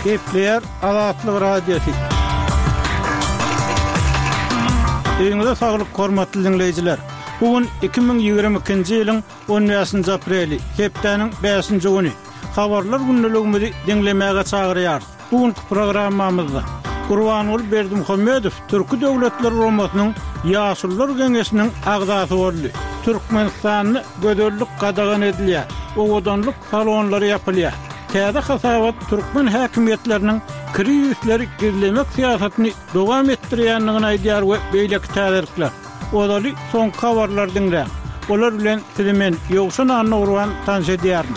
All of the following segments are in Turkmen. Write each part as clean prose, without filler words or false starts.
Gepleýär Azatlyk Radiosy. Öýüňize saglyk hormatly diňleýjiler. Bu gün 2022-nji ýylyň 15-nji apreli, hepdäniň bäşinji güni. Habarlar gündeligimizi diňlemäge çagyrýarys. Bu günki programmamyzda Gurbanguly Berdimuhamedow Türki Döwletler Guramasynyň Ýaşulular Geňeşiniň agzasy boldy. Türkmenistanda gözellik gadagan edilýär, owadanlyk salonlary ýapylýar. Täze hasabat türkmen häkimiýetleriniň krizisleri gizlemek syýasatyny dowam etdirýändigini aýdýar we beýleki täzelikler. Ozaly soňky habarlary diňläň. Olar bilen sizi men, Ýowşan Annagurban tanyş edýärin.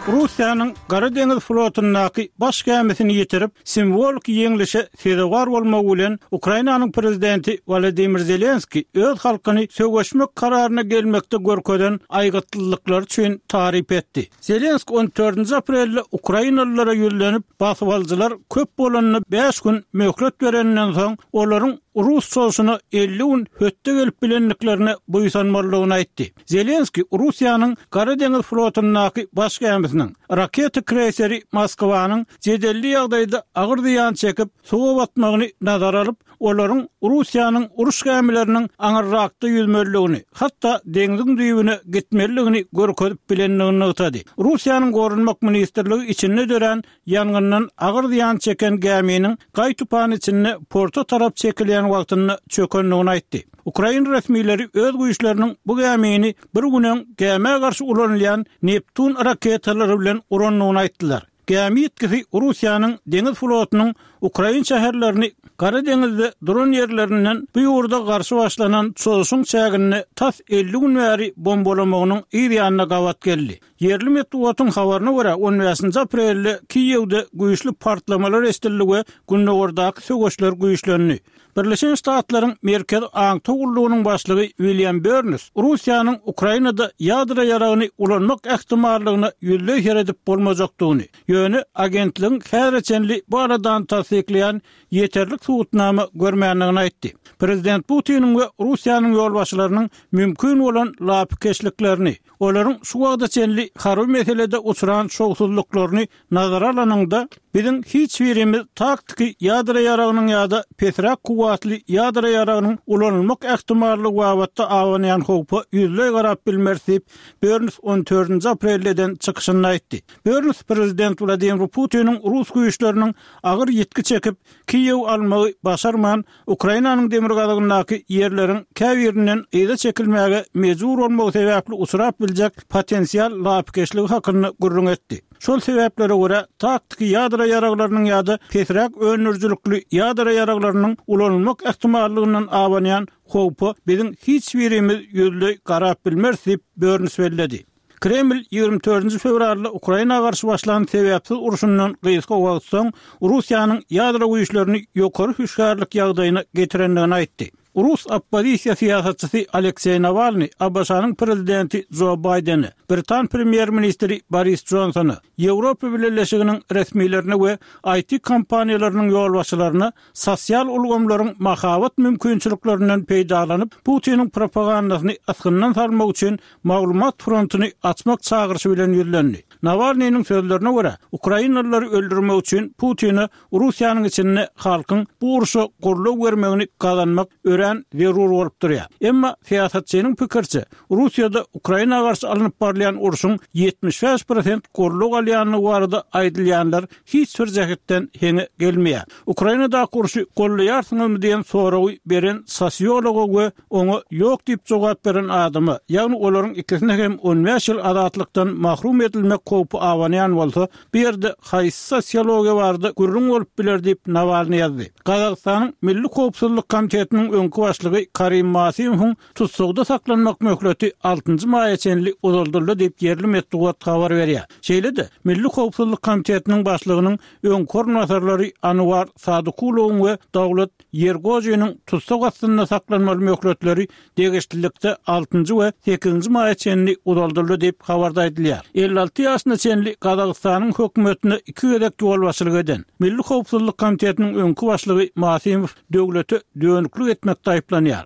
Russiýanyň Gara deňiz flotundaky baş gämisini ýitirip, simwoliki ýeňlişe sezewar bolmagy bilen, Ukrainanyň prezidenti Wolodymyr Zelenskiý öz halkyny söweşmek kararyna gelmekde görkezen aýgytlylyklary üçin taryp etdi. Zelenskiý on dördünji aprelde ukrainalylara ýüzlenip, basybalyjylar köp bolanda bäş gün möhlet bereninden soň, olaryň rus çozuşyna 50 gün hötde gelip bilendiklerine buýsanmalydygyny aýtdy. Zelenskiý Russiýanyň Gara deňiz flotundaky baş gämisiniň, raketa kreýseri Moskwanyň jedelli ýagdaýda agyr zyýan çekip, suwa batmagyny nazara alyp, olaryň Russiýanyň uruş gämileriniň aňyrrakda ýüzmelidigini, hatda deňziň düýbüne gitmelidigini görkezip bilendigini nygtady. Russiýanyň Goranmak ministrligi içinde dörän ýangyndan agyr zyýan çeken gäminiň gaý-tupan içinde porta tarap çekilýän wagtynda çökendigini aýtdy. Ukrain resmileri öz güýçleriniň bu gämini bir gün öň gämä garşy ulanylýan Neptun raketalary bilen urandygyny aýtdylar. Gämi ýitgisi Russiýanyň deňiz flotunyň ukrain şäherlerini Gara deňizde duran ýerlerinden bu ýurda garşy başlanan çozuşyň çäginde tas 50 gün bäri bombalamagynyň yz ýanyna gabat geldi. Ýerli metbugatyň habaryna görä, on bäşinji aprelde Kiýewde güýçli partlamalar eşidildi we gündogardaky söweşler güýçlendi. Birleşen Ştatlaryň Merkezi aňtaw gullugynyň başlygy William Berns Russiýanyň Ukrainada ýadro ýaragyny ulanmak ähtimallygyna ýüzleý seredip bolmajakdygyny, ýöne agentligiň häzire çenli bu aladany tassyklaýan ýeterlik subutnama görmändigini aýtdy. Prezident Putiniň we Russiýanyň ýolbaşçylarynyň mümkin bolan lapykeçliklerini, olaryň şu wagta çenli harby meselede uçran şowsuzlyklaryny Nazara alanyňda, biziň hiç birimiz taktiki ýadro ýaragynyň ýa-da pesräk kuwwatly ýadro ýaragynyň ulanylmak ähtimallygy babatda abanýan howpa ýüzleý garap bilmeris diýip, Berns on dördünji aprelde eden çykyşynda aýtdy. Berns prezident Wladimir Putiniň rus güýçleriniň agyr ýitgi çekip, Kiýewi almagy başarman, Ukrainanyň demirgazygyndaky ýerleriň käbirinden yza çekilmäge mejbur bolmagy sebäpli uçrap biljek potensial lapykeçligi hakynda gürrüň etdi. Şol sebäplere görä, taktiki ýadro ýaraglarynyň ýa-da pesräk öndürijilikli ýadro ýaraglarynyň ulanylmak ähtimallygyndan abanýan howpa biziň hiç birimiz ýüzleý garap bilmeris diýip, Börns belledi. Kreml 24-nji fewralda Ukraina garşy başlan sebäpsiz urşundan gysga wagt soň, Russiýanyň ýadro güýçlerini ýokary hüşgärlik ýagdaýyna getirendigini aýtdy. Rus oppozisiýa syýasatçysy Alekseý Nawalnyý ABŞ-nyň prezidenti Jo Baýdene, britan premýer-ministri Boris Jonsona, Ýewropa Bileleşiginiň resmilerine we IT-kompaniýalarynyň ýolbaşçylaryna sosial ulgamlaryň mahabat mümkinçiliklerinden peýdalanyp, Putiniň propagandasyny ysgyndan salmak üçin maglumat frontuny açmak çagyryşy bilen ýüzlendi. Nawalnynyň sözlerine görä, ukrainalylary öldürmek üçin Putine Russiýanyň içinde halkyň bu urşa goldaw bermegini gazanmak örän zerur bolup durýar. Emma syýasatçynyň pikiriçe, Russiýada Ukraina garşy alnyp barylýan urşuň 75 prosent goldaw alýandygy barada aýdylýanlar hiç bir jähetden heňe gelmeýär. Ukrainadaky urşy goldaýarsyňyzmy diýen soragy beren sosiologa we oňa ýok diýip jogap beren adama, ýagny olaryň ikisine hem on bäş ýyl azatlykdan mahrum edilmek howpy abanýan bolsa, bu ýerde haýsy sosiologiýa barada gürrüň bolup biler diýip, Nawalnyý ýazdy. Gazagystanyň Milli howpsuzlyk komitetiniň öňki başlygy Karim Masimowyň tussagda saklanmak möhleti altynjy maýa çenli uzaldyldy diýip, ýerli metbugat habar berýär. Şeýle-de, Milli howpsuzlyk komitetiniň başlygynyň öňki orunbasarlary Anuar Sadykulowyň we Dawlet Ýergojiniň tussag astynda saklanmaly möhletleri degişlilikde altynjy we sekizinji maýa çenli uzaldyldy diýip, habarda aýdylýar. 56 ýaşyna çenli Gazagystanyň hökümetine iki gezek ýolbaşçylyk eden, Milli howpsuzlyk komitetiniň öňki başlygy Masimow döwlete dönüklik etmekde aýyplanýar.